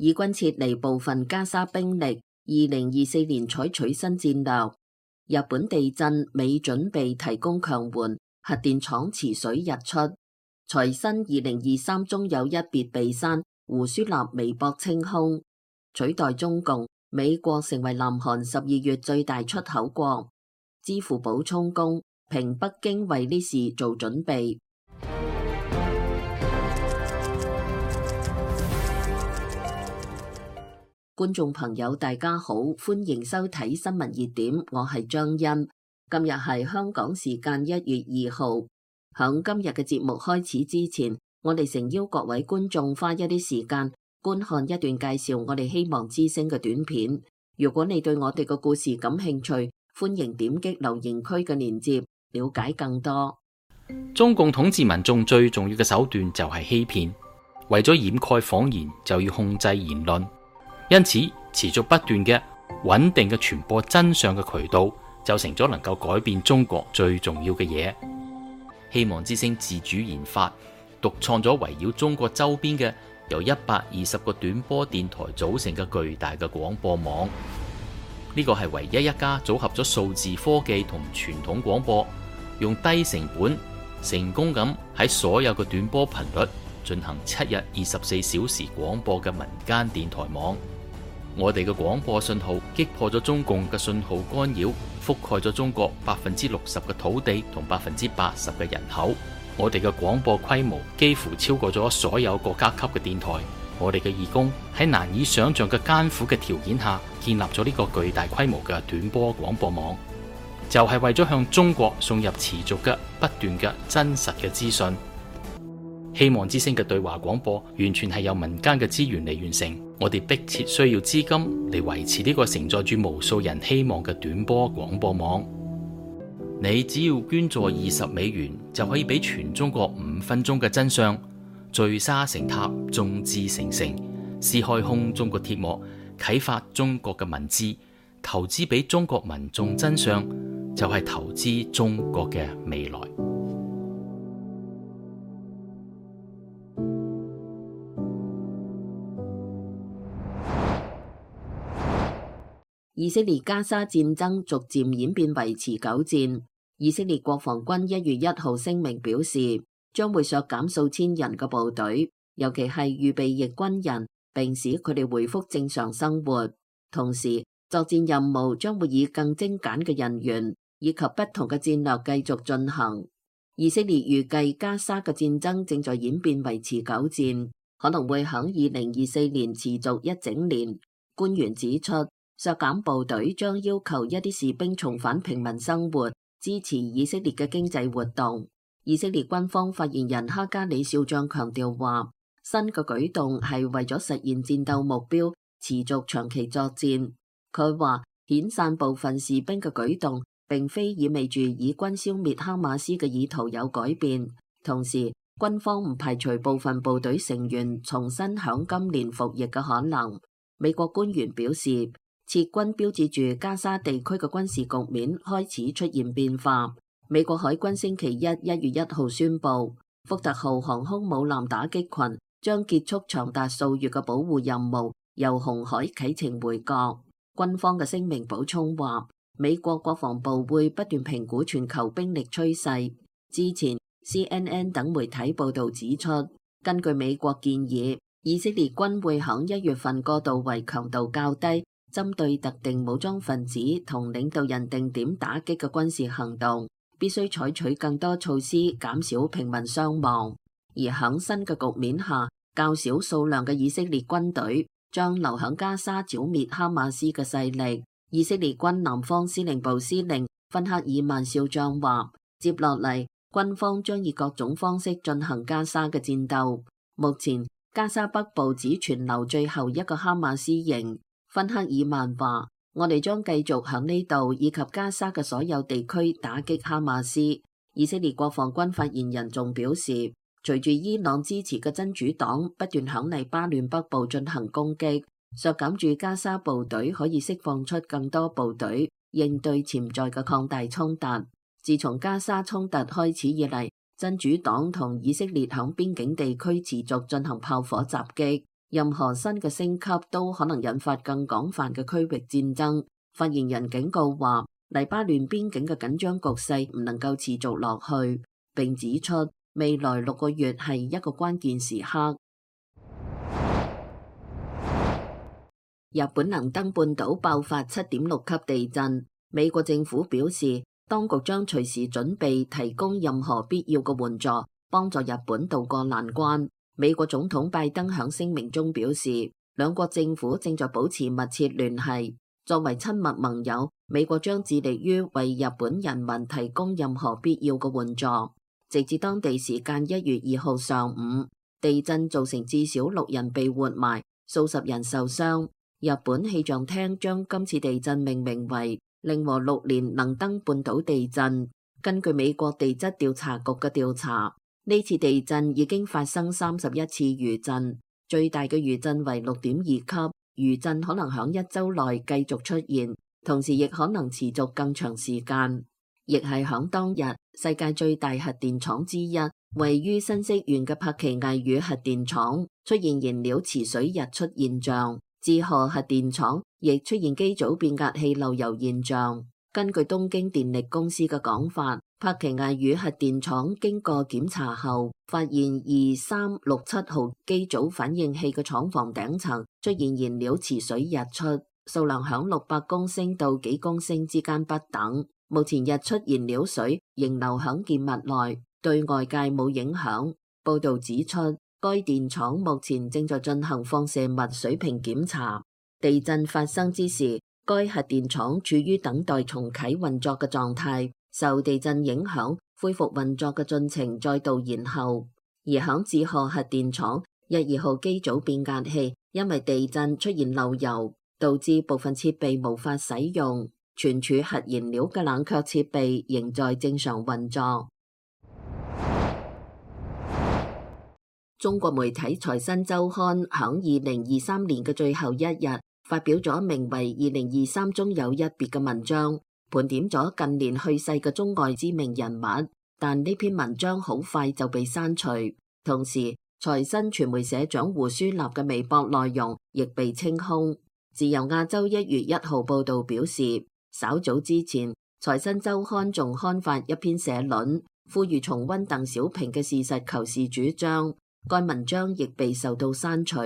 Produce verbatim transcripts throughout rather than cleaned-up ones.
以軍撤離部分加沙兵力，二零二四年採取新戰略。日本地震，美準備提供強援，核電廠池水日出。財新二零二三中有一別被刪，胡舒立微博清空。取代中共，美國成為南韓十二月最大出口國。支付寶充公，評北京為呢事做準備。觀眾朋友大家好，歡迎收睇新聞熱點，我係張欣。今日係香港時間一月二號。響今日嘅節目開始之前，我哋誠邀各位觀眾花一啲時間觀看一段介紹我哋希望之聲嘅短片。如果你對我哋嘅故事感興趣，歡迎點擊留言區嘅鏈接，了解更多。中共統治民眾最重要嘅手段就係欺騙，為咗掩蓋謊言，就要控制言論。因此，持續不斷嘅穩定嘅傳播真相嘅渠道，就成咗能夠改變中國最重要嘅嘢。希望之聲自主研發、獨創咗圍繞中國周邊嘅由一百二十個短波電台組成嘅巨大嘅廣播網。呢個係唯一一家組合咗數字科技同傳統廣播，用低成本成功咁喺所有嘅短波頻率進行七日二十四小時廣播嘅民間電台網。我哋嘅廣播信號擊破咗中共嘅信號干擾，覆蓋咗中國百分之六十嘅土地同百分之八十嘅人口。我哋嘅廣播規模幾乎超過咗所有國家級嘅電台。我哋嘅義工喺難以想象嘅艱苦嘅條件下，建立咗呢個巨大規模嘅短波廣播網，就係為咗向中國送入持續嘅不斷嘅真實嘅資訊。希望之聲嘅對話廣播完全係由民間嘅資源嚟完成，我哋迫切需要資金嚟維持呢個承載住無數人希望嘅短波廣播網。你只要捐助二十美元，就可以俾全中國五分鐘嘅真相，聚沙成塔，眾志成城，撕開空中嘅鐵幕，啟發中國嘅文字，投資俾中國民眾真相，就係投資中國嘅未來。以色列加沙戰爭逐漸演變為持久戰。以色列國防軍一月一號聲明表示，將會削減數千人嘅部隊，尤其係預備役軍人，並使佢哋恢復正常生活。同時，作戰任務將會以更精簡嘅人員以及不同嘅戰略繼續進行。以色列預計加沙嘅戰爭正在演變為持久戰，可能會喺二零二四年持續一整年。官員指出，削減部隊將要求一啲士兵重返平民生活，支持以色列嘅經濟活動。以色列軍方發言人哈加里少將強調話，新嘅舉動係為咗實現戰鬥目標，持續長期作戰。佢話，遣散部分士兵嘅舉動並非意味住以軍消滅哈馬斯嘅意圖有改變。同時，軍方唔排除部分部隊成員重新響今年服役嘅可能。美國官員表示，撤軍標誌住加沙地區嘅軍事局面開始出現變化。美國海軍星期一一月一號宣布，福特號航空母艦打擊群將結束長達數月嘅保護任務，由紅海啟程回國。軍方嘅聲明補充話，美國國防部會不斷評估全球兵力趨勢。之前 C N N 等媒體報道指出，根據美國建議，以色列軍會喺一月份過渡為強度較低，針對特定武裝分子同領導人定點打擊嘅軍事行動，必須採取更多措施減少平民傷亡。而喺新嘅局面下，較少數量嘅以色列軍隊將留喺加沙剿滅哈馬斯嘅勢力。以色列軍南方司令部司令芬克爾曼少將話，接落嚟軍方將以各種方式進行加沙嘅戰鬥。目前加沙北部只存留最後一個哈馬斯營。芬克爾曼話，我哋將繼續喺呢度以及加沙嘅所有地區打擊哈馬斯。以色列國防軍發言人仲表示，隨住伊朗支持嘅真主黨不斷響黎巴嫩北部進行攻擊，削減住加沙部隊可以釋放出更多部隊，應對潛在嘅擴大衝突。自從加沙衝突開始以嚟，真主黨同以色列響邊境地區持續進行炮火襲擊。任何新嘅升級都可能引發更廣泛嘅區域戰爭。發言人警告話，黎巴嫩邊境嘅緊張局勢唔能夠持續落去，並指出未來六個月係一個關鍵時刻。日本能登半島爆發七點六級地震，美國政府表示，當局將隨時準備提供任何必要嘅援助，幫助日本渡過難關。美國總統拜登響聲明中表示，兩國政府正在保持密切聯繫。作為親密盟友，美國將致力於為日本人民提供任何必要嘅援助。直至當地時間一月二號上午，地震造成至少六人被活埋，數十人受傷。日本氣象廳將今次地震命名為令和六年能登半島地震。根據美國地質調查局嘅調查，呢次地震已經發生三十一次餘震，最大嘅餘震為六點二級。餘震可能響一周內繼續出現，同時亦可能持續更長時間。亦係響當日，世界最大核電廠之一，位於新潟縣嘅柏崎刈羽核電廠出現燃料池水溢出現象。志賀核電廠亦出現機組變壓器漏油現象。根據東京電力公司嘅講法，柏崎刈羽核電廠經過檢查後，發現二三六七號機組反應器嘅廠房頂層出現燃料池水溢出，數量響六百公升到幾公升之間不等。目前溢出燃料水仍留響建物內，對外界冇影響。報道指出，該電廠目前正在進行放射物水平檢查。地震發生之時，該核電廠處於等待重啟運作嘅狀態，受地震影響，恢復運作嘅進程再度延後。而響志賀核電廠一二號機組變壓器因為地震出現漏油，導致部分設備無法使用，存儲核燃料嘅冷卻設備仍在正常運作。中國媒體財新周刊響二零二三年嘅最後一日發表咗名為《二零二三中有一別》嘅文章，盤點咗近年去世嘅中外知名人物，但呢篇文章好快就被刪除。同時，財新傳媒社長胡舒立嘅微博內容亦被清空。自由亞洲一月一號報道表示，稍早之前，財新周刊仲刊發一篇社論，呼籲重溫鄧小平嘅事實求是主張。該文章亦被受到刪除。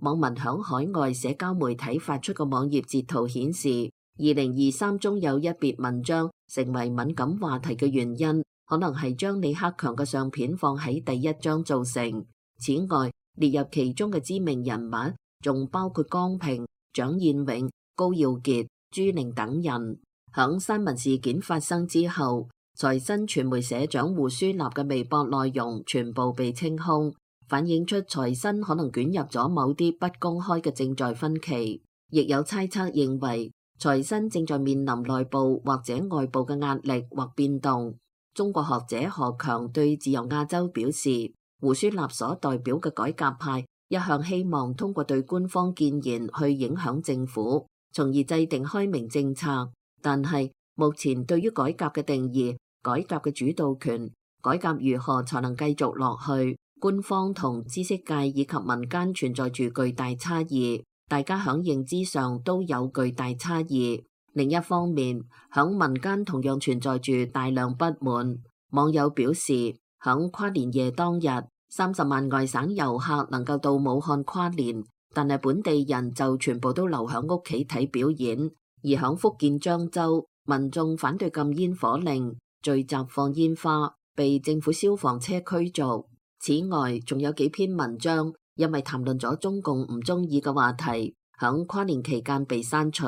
網民響海外社交媒體發出嘅網頁截圖顯示，二零二三中有一別文章成為敏感話題嘅原因，可能係將李克強嘅相片放喺第一張造成。此外，列入其中嘅知名人物仲包括江平、蔣彥永、高耀傑、朱玲等人。響新聞事件發生之後，財新傳媒社長胡舒立嘅微博內容全部被清空，反映出財新可能捲入咗某啲不公開嘅正在分歧。亦有猜測認為財新正在面臨內部或者外部嘅壓力或變動。中國學者何強對自由亞洲表示，胡舒立所代表嘅改革派一向希望通過對官方建言去影響政府，從而制定開明政策。但係目前對於改革嘅定義、改革嘅主導權、改革如何才能繼續落去，官方同知識界以及民間存在住巨大差異，大家響認知上都有巨大差異。另一方面，響民間同樣存在住大量不滿。網友表示，響跨年夜當日，三十萬外省遊客能夠到武漢跨年，但係本地人就全部都留響屋企睇表演。而響福建漳州，民眾反對禁煙火令，聚集放煙花，被政府消防車驅逐。此外，仲有幾篇文章因為談論咗中共唔中意嘅話題，響跨年期間被刪除。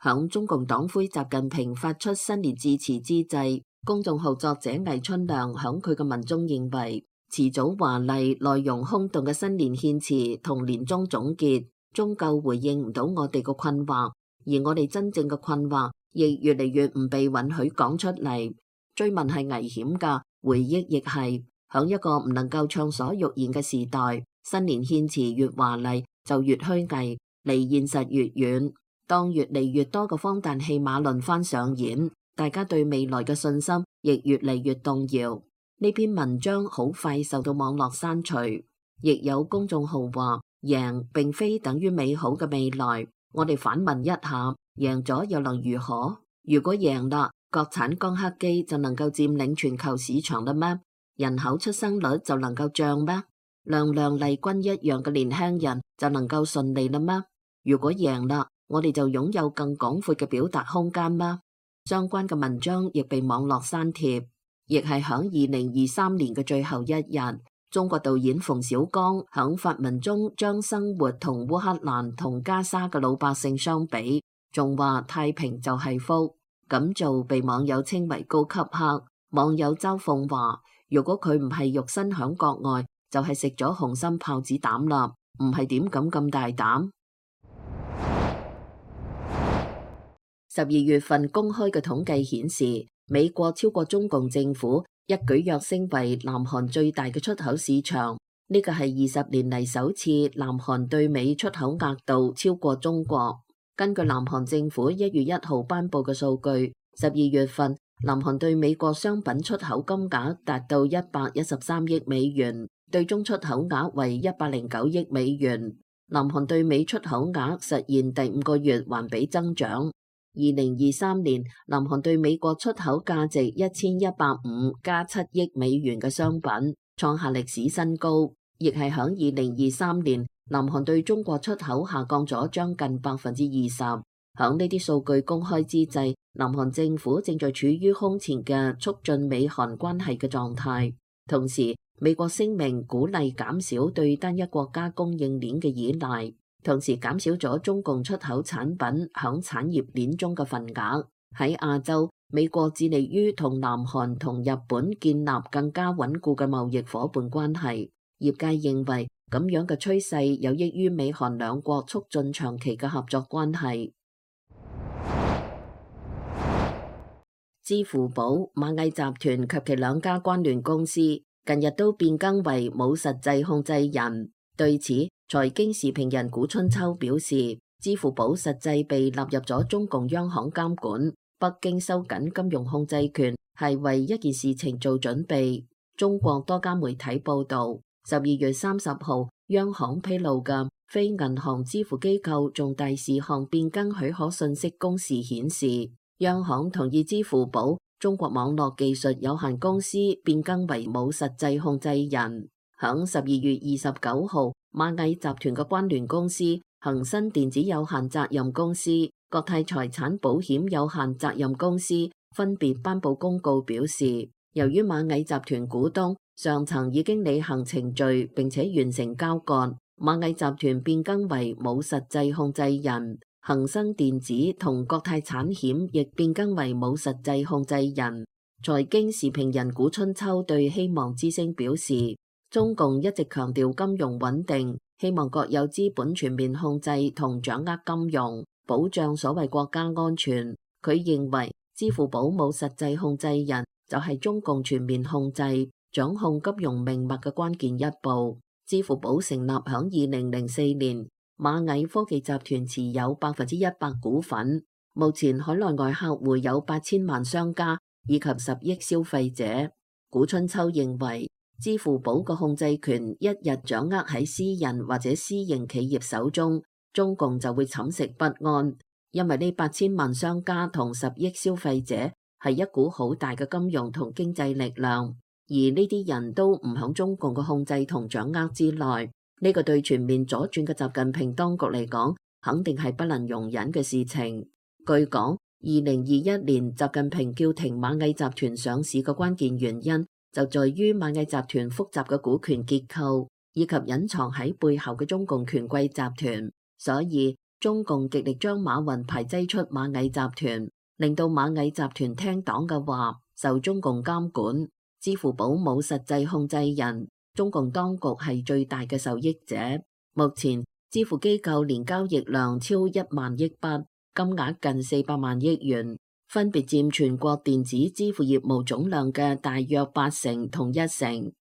響中共黨魁習近平發出新年致辭之際，公眾號作者魏春亮響佢嘅文中認為，詞組華麗、內容空洞嘅新年獻詞同年終總結，終究回應唔到我哋嘅困惑，而我哋真正嘅困惑亦越嚟越唔被允許講出嚟。追問係危險㗎，回憶亦係。響一個唔能夠暢所欲言嘅時代，新年獻詞越華麗就越虛偽，離現實越遠。當越嚟越多嘅荒誕戲碼輪番上演，大家對未來嘅信心亦越嚟越動搖。呢篇文章好快受到網絡刪除，亦有公眾號話贏並非等於美好嘅未來。我哋反問一下，贏咗又能如何？如果贏啦，國產光刻機就能夠佔領全球市場啦咩？人口出生率就能夠漲咩？亮亮麗君一樣嘅年輕人就能夠順利啦咩？如果贏啦，我哋就擁有更廣闊嘅表達空間咩？相關嘅文章亦被網絡刪帖，亦係響二零二三年嘅最後一日。中國導演馮小剛響發文中將生活同烏克蘭同加沙嘅老百姓相比，仲話太平就係福。咁做被網友稱為高級黑。網友周鳳話：如果佢唔係肉身響國外，就係食咗紅心豹子膽啦，唔係點敢咁大膽。十二月份公開嘅統計顯示，美國超過中共政府，一舉躍升為南韓最大嘅出口市場。呢個係二十年嚟首次南韓對美出口額度超過中國。根據南韓政府一月一號頒布嘅數據，十二月份南韓對美國商品出口金額達到一百一十三億美元，對中出口額為一百零九億美元。南韓對美出口額實現第五個月環比增長。二零二三年，南韓對美國出口價值一千一百五加七億美元嘅商品，創下歷史新高，亦係響二零二三年，南韓對中國出口下降咗將近百分之二十。響呢啲數據公開之際，南韓政府正在處於空前嘅促進美韓關係嘅狀態。同時，美國聲明鼓勵減少對單一國家供應鏈嘅依賴。同時減少咗中共出口產品響產業鏈中嘅份額。喺亞洲，美國致力於同南韓同日本建立更加穩固嘅貿易夥伴關係。業界認為咁樣嘅趨勢有益於美韓兩國促進長期嘅合作關係。支付寶、螞蟻集團及其兩家關聯公司近日都變更為冇實際控制人。對此，財經時評人古春秋表示，支付寶實際被納入咗中共央行監管，北京收緊金融控制權係為一件事情做準備。中國多家媒體報道，十二月三十號，央行披露嘅非銀行支付機構重大事項變更許可信息公示顯示，央行同意支付寶中國網絡技術有限公司變更為冇實際控制人。響十二月二十九號，螞蟻集團嘅關聯公司恒生電子有限責任公司、國泰財產保險有限責任公司分別頒布公告表示，由於螞蟻集團股東上層已經履行程序並且完成交割，螞蟻集團變更為冇實際控制人。恒生電子同國泰產險亦變更為冇實際控制人。財經時評人古春秋對希望之聲表示，中共一直強調金融穩定，希望國有資本全面控制同掌握金融，保障所謂國家安全。佢認為支付寶冇實際控制人就係中共全面控制、掌控金融命脈嘅關鍵一步。支付寶成立響二零零四年，螞蟻科技集團持有百分之一百股份，目前海內外客戶有八千萬商家以及十億消費者。古春秋認為，支付寶嘅控制權一日掌握喺私人或者私營企業手中，中共就會寢食不安，因為呢八千萬商家同十億消費者係一股好大嘅金融同經濟力量，而呢啲人都唔響中共嘅控制同掌握之內，呢個對全面左轉嘅習近平當局嚟講，肯定係不能容忍嘅事情。據講，二零二一年習近平叫停螞蟻集團上市嘅關鍵原因，就在於螞蟻集團複雜嘅股權結構，以及隱藏喺背後嘅中共權貴集團，所以中共極力將馬雲排擠出螞蟻集團，令到螞蟻集團聽黨嘅話，受中共監管。支付寶冇實際控制人，中共當局係最大嘅受益者。目前支付機構年交易量超一萬億筆，金額近四百萬億元。分別佔全國電子支付業務總量嘅大約八成同一成，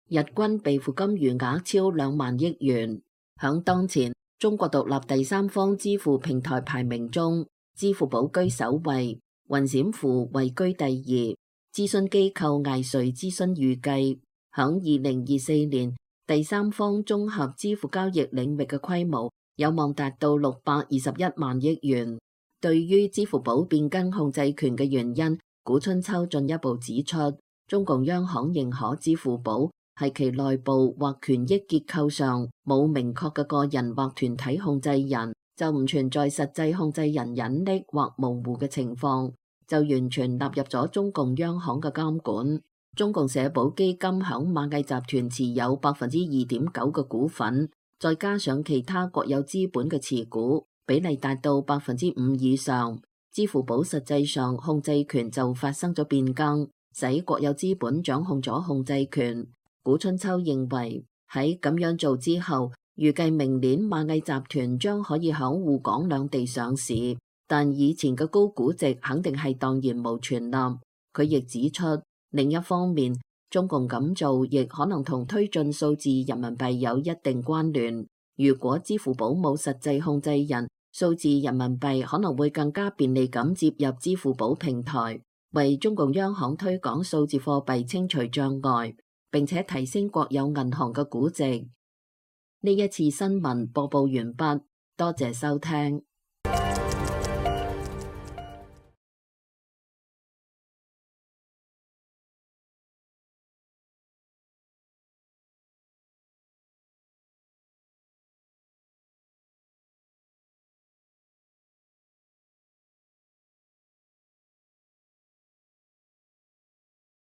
日均備付金餘額超兩萬億元。響當前中國獨立第三方支付平台排名中，支付寶居首位，雲閃付位居第二。諮詢機構艾瑞諮詢預計，響二零二四年，第三方綜合支付交易領域嘅規模有望達到六百二十一萬億元。對於支付寶變更控制權嘅原因，古春秋進一步指出，中共央行認可支付寶係其內部或權益結構上冇明確嘅個人或團體控制人，就唔存在實際控制人隱匿或模糊嘅情況，就完全納入咗中共央行嘅監管。中共社保基金響螞蟻集團持有百分之二點九嘅股份，再加上其他國有資本嘅持股，比例達到百分之五以上。支付寶實際上控制權就發生咗變更，使國有資本掌控咗控制權。古春秋認為喺咁樣做之後，預計明年螞蟻集團將可以響滬港兩地上市，但以前嘅高估值肯定係蕩然無存啦。佢亦指出，另一方面，中共咁做亦可能同推進數字人民幣有一定關聯。如果支付寶冇實際控制人，數字人民幣可能會更加便利咁接入支付寶平台，為中共央行推廣數字貨幣清除障礙，並且提升國有銀行嘅估值。呢一次新聞播報完畢，多謝收聽。